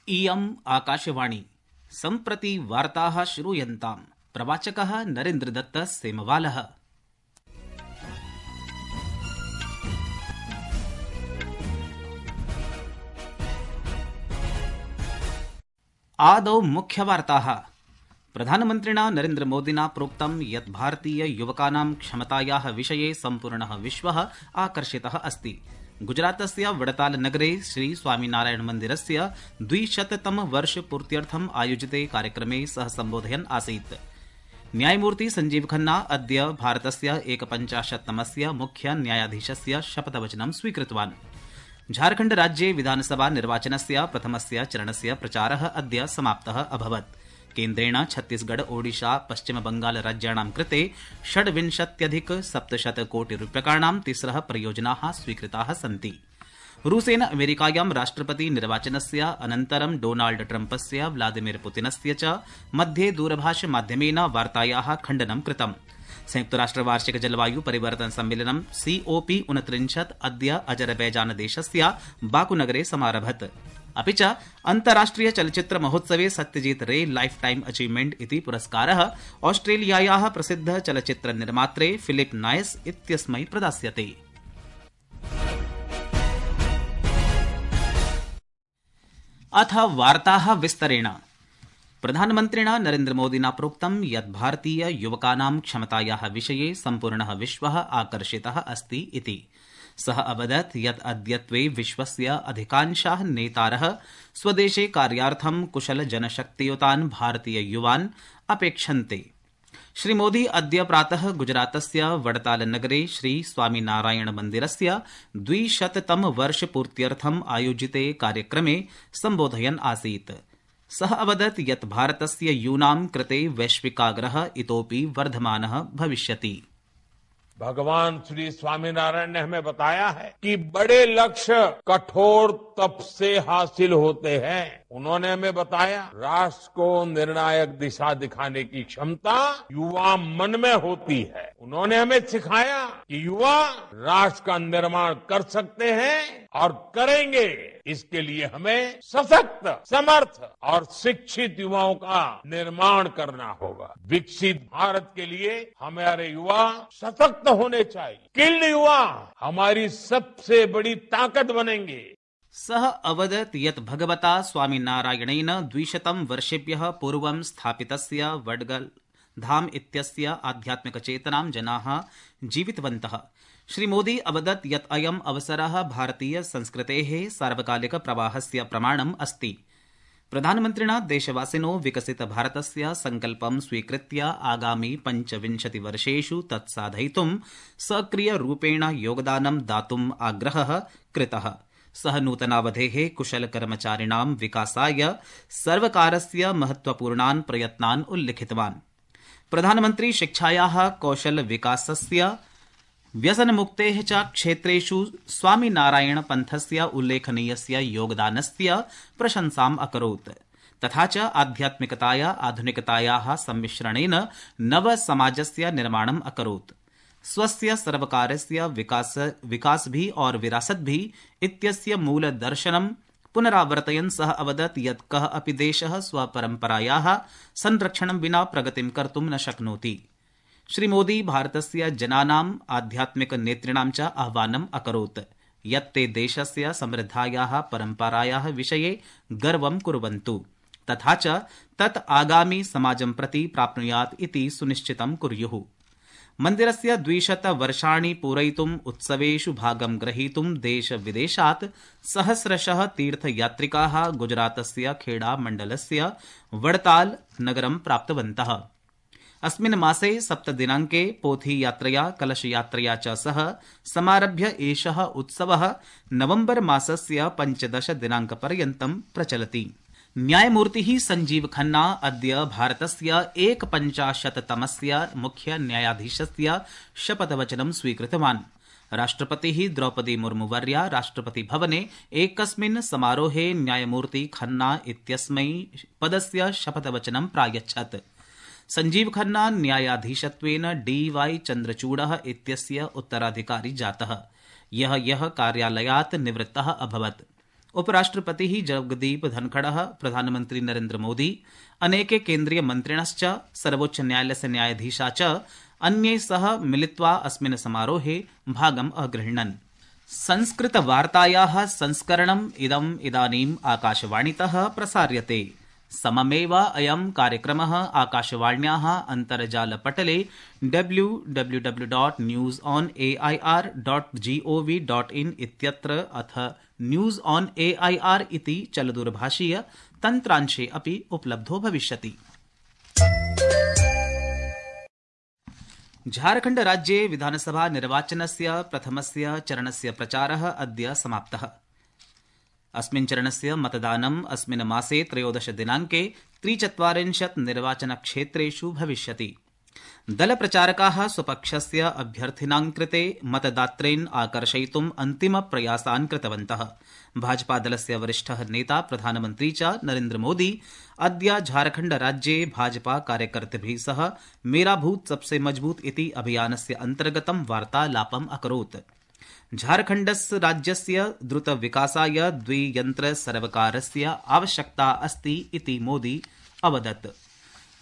इयम् आकाशवाणी सम्प्रति वार्ताः श्रूयन्ताम्। प्रवाचकः नरेन्द्रदत्त सेमवालः। आदौ मुख्यवार्ताः। प्रधानमन्त्रिणा नरेन्द्रमोदिना प्रोक्तं यत् भारतीय युवकानां क्षमतायाः विषये सम्पूर्णः विश्वः आकर्षितः अस्ति। गुजरातस्य वडताल नगरे श्री स्वामीनारायण मन्दिरस्य 200तम वर्षपूर्त्यर्थम् आयोजिते कार्यक्रमे सः सम्बोधयन् आसीत्। न्यायमूर्ति संजीव खन्ना अद्य भारतस्य 51तमस्य मुख्य न्यायाधीशस्य शपथवचनं स्वीकृतवान्। झारखण्ड राज्ये विधानसभा निर्वाचनस्य प्रथमस्य चरणस्य प्रचारः अद्य समाप्तः अभवत्। केन्द्रेण छत्तीसगढ़, ओडिशा, पश्चिम बंगाल राज्याणां कृते 26,700 कोटिरूप्यकाणां तिस्रः परियोजनाः स्वीकृताः सन्ति। रूसेन अमेरिकायां राष्ट्रपति निर्वाचनस्य अनन्तरं डोनाल्ड ट्रम्पस्य, व्लादिमीर पुतिनस्य च मध्ये दूरभाषमाध्यमेन वार्तायाः खण्डनं कृतम्। संयुक्तराष्ट्रवार्षिक जलवायु परिवर्तन सम्मेलनं COP29 अद्य अजरबैजानदेशस्य बाकुनगरे समारभत। अपि च अन्ताराष्ट्रिय चलच्चित्र महोत्सवे सत्यजीत रे लाइफ टाइम अचीवमेंट इति पुरस्कारः ऑस्ट्रेलियायाः प्रसिद्ध चलच्चित्र निर्मात्रे फिलिप नायस इत्यस्मै प्रदास्यते। अथ वार्ताः विस्तरेण। प्रधानमन्त्रिणा नरेन्द्रमोदिना प्रोक्तं यत् भारतीय युवकानां क्षमतायाः विषये सम्पूर्णः विश्वः आकर्षितः अस्ति इति। सः अवदत् यत् अद्यत्वे विश्वस्य अधिकांशाः नेतारः स्वदेशे कार्यार्थं कुशल जनशक्तियुतान् भारतीय युवान् अपेक्षन्ते। श्रीमोदी अद्य प्रातः गुजरातस्य वडताल नगरे श्री स्वामीनारायण मन्दिरस्य 200तम वर्षपूर्त्यर्थम् आयोजिते कार्यक्रमे सम्बोधयन् आसीत्। सः अवदत् यत् भारतस्य यूनां कृते वैश्विकाग्रहः इतोपि वर्धमानः भविष्यति। भगवान श्री स्वामीनारायण ने हमें बताया है कि बड़े लक्ष्य कठोर तप से हासिल होते हैं। उन्होंने हमें बताया राष्ट्र को निर्णायक दिशा दिखाने की क्षमता युवा मन में होती है। उन्होंने हमें सिखाया कि युवा राष्ट्र का निर्माण कर सकते हैं और करेंगे। इसके लिए हमें सशक्त, समर्थ और शिक्षित युवाओं का निर्माण करना होगा। विकसित भारत के लिए हमारे युवा सशक्त होने चाहिए। स्किल्ड युवा हमारी सबसे बड़ी ताकत बनेंगे। सः अवदत् यत् भगवता स्वामीनारायणेन 200 वर्षेभ्यः पूर्वं स्थापितस्य वडगल धाम इत्यस्य आध्यात्मिकचेतनां जनाः जीवितवन्तः। श्रीमोदी अवदत् यत् अयम् अवसरः भारतीय संस्कृतेः सार्वकालिक प्रवाहस्य प्रमाणम् अस्ति। प्रधानमन्त्रिणा देशवासिनो विकसित भारतस्य संकल्पं स्वीकृत्य आगामि 25 वर्षेषु तत्साधयितुं सक्रियरूपेण योगदानं दातुम् आग्रहः कृतः। सः नूतनावधेः कुशलकर्मचारिणां विकासाय सर्वकारस्य महत्वपूर्णान् प्रयत्नान् उल्लिखितवान्। प्रधानमन्त्री शिक्षायाः, कौशलविकासस्य, व्यसनमुक्तेः च क्षेत्रेषु स्वामीनारायण पन्थस्य उल्लेखनीयस्य योगदानस्य प्रशंसाम् अकरोत्। तथा च आध्यात्मिकताया आधुनिकतायाः सम्मिश्रणेन नवसमाजस्य निर्माणम् अकरोत्। स्वस्य सर्वकारस्य विकास भी और विरासत भी इत्यस्य मूलदर्शनं पुनरावर्तयन् सः अवदत् यत् कः अपि देशः स्वपरम्परायाः संरक्षणं विना प्रगतिं कर्तुं न शक्नोति। श्रीमोदी भारतस्य जनानाम् आध्यात्मिक नेतॄणां च आह्वानम् अकरोत् यत् ते देशस्य समृद्धायाः परम्परायाः विषये गर्वं कुर्वन्तु तथा च तत् आगामि समाजं प्रति प्राप्नुयात् इति सुनिश्चितं कुर्युः। मन्दिरस्य 200 वर्षाणि पूरयितुम् उत्सवेषु भागं ग्रहीतुं देश-विदेशात् सहस्रशः तीर्थयात्रिकाः गुजरातस्य खेड़ा मण्डलस्य वडताल नगरं प्राप्तवन्तः। अस्मिन् मासे 7 दिनाङ्के पोथीयात्रया, कलशयात्रया च सह समारभ्य एषः उत्सवः नवम्बर मासस्य 15 दिनाङ्कपर्यन्तं प्रचलति। न्यायमूर्तिः संजीव खन्ना अद्य भारतस्य 51तमस्य मुख्य न्यायाधीशस्य शपथवचनं स्वीकृतवान्। राष्ट्रपतिः द्रौपदी मुर्मुवर्या राष्ट्रपतिभवने एकस्मिन् समारोहे न्यायमूर्ति खन्ना इत्यस्मै पदस्य शपथवचनं प्रायच्छत्। संजीव खन्ना न्यायाधीशत्वेन DY चन्द्रचूडः इत्यस्य उत्तराधिकारी जातः। यः कार्यालयात् निवृत्तः अभवत्। उपराष्ट्रपतिः जगदीप धनखड़ः, प्रधानमन्त्री नरेन्द्र मोदी, अनेके केन्द्रीय मन्त्रिणश्च सर्वोच्च न्यायालयस्य न्यायाधीशा च अन्यैः सह मिलित्वा अस्मिन् समारोहे भागम् अगृह्णन्। संस्कृतवार्तायाः संस्करणम् इदानीम् आकाशवाणीतः प्रसार्यते। सममेव अयं कार्यक्रमः आकाशवाण्याः अन्तर्जालपटले www.newsonair.gov.in इत्यत्र अथ न्यूज ऑन एआईआर इति चलदूरभाषीय तन्त्रांशे अपि उपलब्धो भविष्यति। झारखण्ड राज्ये विधानसभा निर्वाचनस्य प्रथमस्य चरणस्य प्रचारः अद्य समाप्तः। अस्मिन् चरणस्य मतदानम् अस्मिन् मासे 13 दिनाङ्के 43 निर्वाचनक्षेत्रेषु भविष्यति। दलप्रचारकाः स्वपक्षस्य अभ्यर्थिनां कृते मतदातॄन् आकर्षयितुम् अन्तिमप्रयासान् कृतवन्तः। भाजपादलस्य वरिष्ठः नेता प्रधानमन्त्री च नरेन्द्र मोदी अद्य झारखण्ड राज्ये भाजपा कार्यकर्तृभिः सह मेरा बूथ सबसे मजबूत इति अभियानस्य अन्तर्गतं वार्तालापम् अकरोत्। झारखण्डस्य राज्यस्य द्रुतविकासाय द्वियन्त्रसर्वकारस्य आवश्यकता अस्ति इति मोदी अवदत्।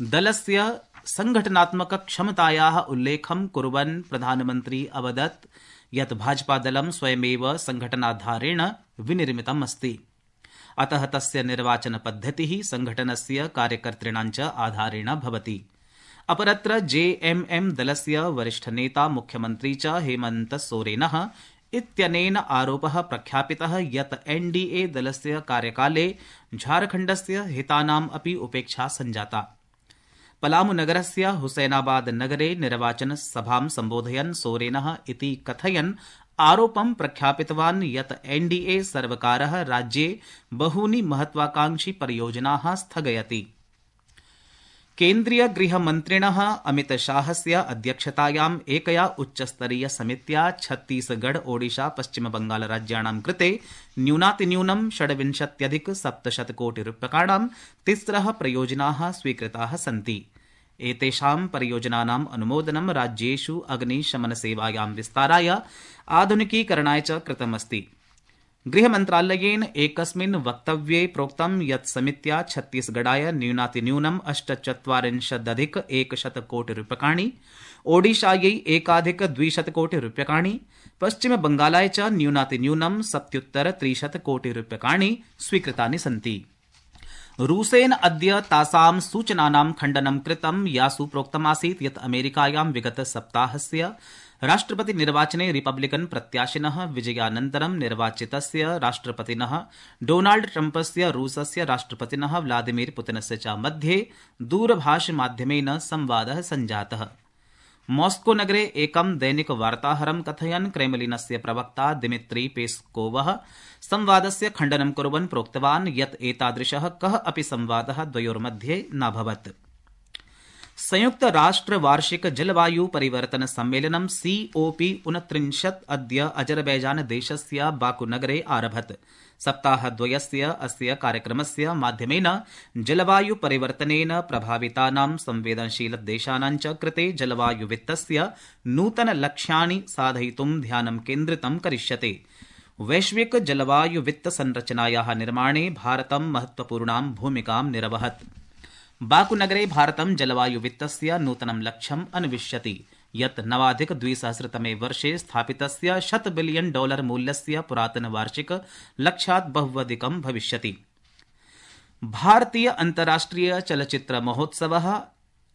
दलस्य संघटनात्मकक्षमतायाः उल्लेखं कुर्वन् प्रधानमन्त्री अवदत् यत् भाजपादलं स्वयमेव संघटनाधारेण विनिर्मितम् अस्ति। अतः तस्य निर्वाचनपद्धतिः संघटनस्य कार्यकर्तॄणां च आधारेण भवति। अपरत्र जेएमएम दलस्य वरिष्ठनेता मुख्यमन्त्री च हेमन्त सोरेनः इत्यनेन आरोपः प्रख्यापितः यत् एनडीए दलस्य कार्यकाले झारखण्डस्य हितानाम् अपि उपेक्षा सञ्जाता। पलामू नगरस्य हुसैनाबाद नगरे निर्वाचनसभां सम्बोधयन् सोरेनः इति कथयन् आरोपं प्रख्यापितवान् यत् एनडीए सर्वकारः राज्ये बहूनि महत्वाकांक्षी परियोजनाः स्थगयति। केन्द्रीय गृहमन्त्रिणः अमितशाहस्य अध्यक्षतायाम् एकया उच्चस्तरीय समित्या छत्तीसगढ़, ओडिशा, पश्चिमबंगाल राज्याणां कृते न्यूनातिन्यूनं 26,700 कोटिरूप्यकाणां 3 परियोजनाः स्वीकृताः सन्ति। एतेषां परियोजनानाम् अनुमोदनं राज्येषु अग्निशमनसेवायां विस्ताराय, आधुनिकीकरणाय च कृतमस्ति। गृहमन्त्रालयेन एकस्मिन् वक्तव्ये प्रोक्तं यत् समित्या छत्तीसगढ़ाय न्यूनातिन्यूनं 48,100 कोटिरूप्यकाणि, ओडिशायै 1,200 कोटिरूप्यकाणि, पश्चिमबंगालाय च न्यूनातिन्यूनं 70,300 कोटिरूप्यकाणि स्वीकृतानि सन्ति। रूसेन अद्य तासां सूचनानां खण्डनं कृतं यासु प्रोक्तमासीत् यत् अमेरिकायां विगतसप्ताहस्य राष्ट्रपतिनिर्वाचने रिपब्लिकन प्रत्याशिनः विजयानन्तरं निर्वाचितस्य राष्ट्रपतिनः डोनाल्ड ट्रम्पस्य रूसस्य राष्ट्रपतिनः व्लादिमीर पुतिनस्य च मध्ये दूरभाषमाध्यमेन संवादः सञ्जातः। मॉस्को नगरे एकं दैनिकवार्ताहरं कथयन् क्रेमलिनस्य प्रवक्ता दिमित्री पेस्कोवः संवादस्य खण्डनं कुर्वन् प्रोक्तवान् यत् एतादृशः कः अपि संवादः द्वयोर्मध्ये नाभवत्। संयुक्त राष्ट्र वार्षिक जलवायु परिवर्तन सम्मेलनं COP29 अद्य अजरबैजान देशस्य बाकू नगरे आरभत। सप्ताहद्वयस्य अस्य कार्यक्रमस्य माध्यमेन जलवायु परिवर्तनेन प्रभावितानां संवेदनशील देशानां च कृते जलवायु वित्तस्य नूतन लक्ष्याणि साधयितुं ध्यानं केन्द्रितं करिष्यते। वैश्विक जलवायु वित्त संरचनायाः निर्माणे भारतं महत्वपूर्णां भूमिकां निरवहत्। बाकू नगरे भारतं जलवायु वित्तस्य नूतनं लक्ष्यम् अन्विष्यति यत् 9,200 वर्षे स्थापितस्य $100 बिलियन मूल्यस्य पुरातन वार्षिक लक्ष्यात् बहुवधिकं भविष्यति। भारतीय अन्ताराष्ट्रिय चलच्चित्र महोत्सवः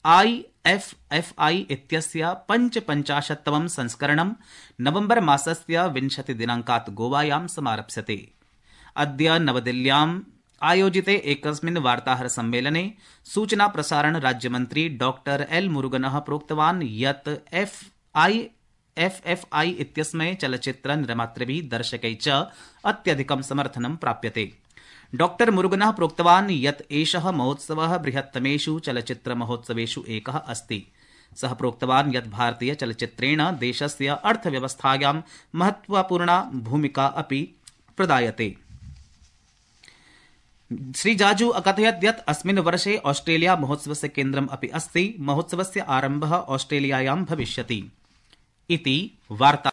IFFI इत्यस्य 55तमं संस्करणं नवम्बर मासस्य 20 दिनाङ्कात् गोवायां समारप्स्यते। अद्य नवदिल्ल्यां आयोजिते एकस्मिन् वार्ताहर सम्मेलने सूचना प्रसारण राज्यमन्त्री डॉक्टर L मुरुगनः प्रोक्तवान् यत् IFFI इत्यस्मै चलच्चित्र निर्मातृभिः दर्शकैः च अत्यधिकं समर्थनं प्राप्यते। डॉक्टर मुरुगनः प्रोक्तवान् यत् एषः महोत्सवः बृहत्तमेषु चलच्चित्र महोत्सवेषु एकः अस्ति। सः प्रोक्तवान् यत् भारतीय चलच्चित्रेण देशस्य अर्थव्यवस्थायां महत्वपूर्णा भूमिका अपि प्रदायते। श्री जाजू अकथयत् यत् अस्मिन् वर्षे ऑस्ट्रेलिया महोत्सवस्य केन्द्रम् अपि अस्ति। महोत्सवस्य आरम्भः ऑस्ट्रेलियायां भविष्यति इति वार्ता।